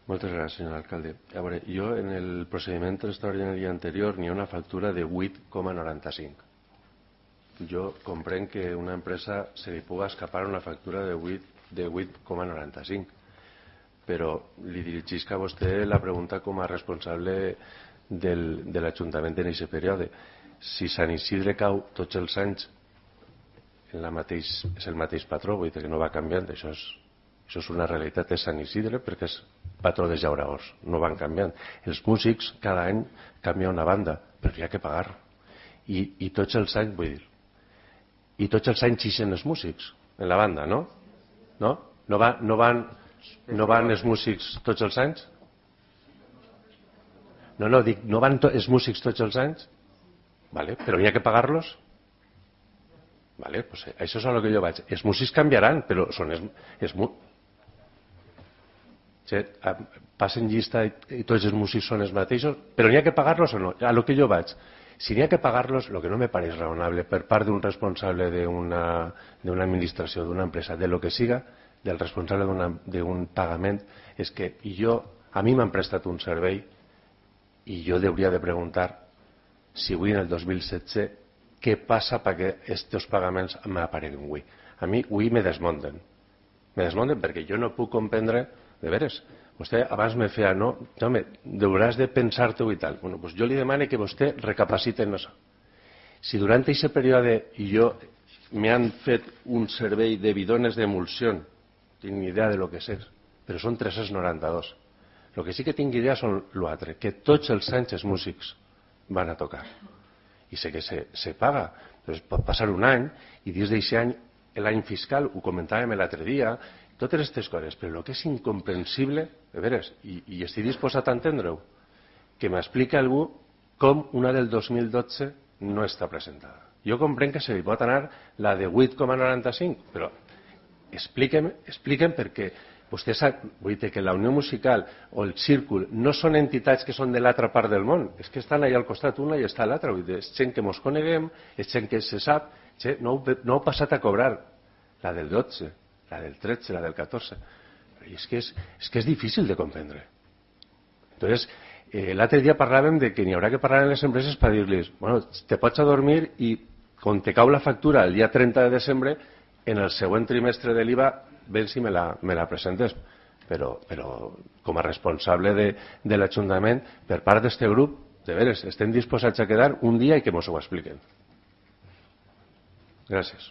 Moltes gràcies, senyor alcalde. A veure, jo en el procediment extraordinari anterior n'hi ha una factura de 8,95. Jo comprenc que a una empresa se li puga escapar una factura de 8,95, però li dirigisc a vostè la pregunta com a responsable de l'Ajuntament en aquest període. Si Sant Isidre cau tots els anys és el mateix patró, vull dir que no va canviant, això és una realitat, és Sant Isidre perquè és patró de llauradors, no van canviant. Els músics cada any canvia una banda, però hi ha que pagar. I tots els anys, vull dir, i tots els anys ixen els músics en la banda, no? No van els músics tots els anys? No, dic, no van els músics tots els anys? Vale, però n'hi ha que pagar-los? Vale, pues això és a lo que jo vaig. Els músics canviaran, però són passen llista i tots els músics són els mateixos, però n'hi ha que pagar-los o no? A lo que jo vaig. Si n'hi ha que pagar-los, el que no me pareix raonable per part d'un responsable d'una administració, d'una empresa, de lo que siga, del responsable d'un pagament, és que a mi m'han prestat un servei i jo hauria de preguntar si avui en el 2016 què passa perquè aquests pagaments m'apareguin avui. A mi avui me desmunten. Me desmunten perquè jo no puc comprendre, de veres, vostè abans me feia, no, home, hauràs de pensar-te-ho i tal. Bueno, doncs jo li demano que vostè recapacite en això. Si durant aquest període m'han fet un servei de bidones d'emulsió, tinc ni idea de lo que és, però són 392. El que sí que tinc idea són l'altre, que tots els anys els músics van a tocar. I sé que se paga. Doncs pot passar un any i dins d'aquest any, l'any fiscal, ho comentàvem l'altre dia, totes aquestes coses, però el que és incomprensible, de veres, i estic disposat a entendre-ho, que m'explica algú com una del 2012 no està presentada. Jo comprenc que se li pot anar la de 8,95, però expliquem perquè vostè sap, vull dir que la Unió Musical o el Círcul no són entitats que són de l'altra part del món, és que estan allà al costat una i està a l'altra, és gent que mos coneguem, és gent que se sap, no heu passat a cobrar la del 12, la del 13, la del 14, i és que és difícil de comprendre. Entonces, l'altre dia parlàvem de que n'hi haurà que parlar amb les empreses per dir-los, bueno, te pots adormir i quan te cau la factura el dia 30 de desembre, en el següent trimestre de l'IVA ven si me la presentes, però com a responsable de l'Ajuntament, per part d'este grup, de veres, estem disposats a quedar un dia i que mos ho expliquen. Gràcies.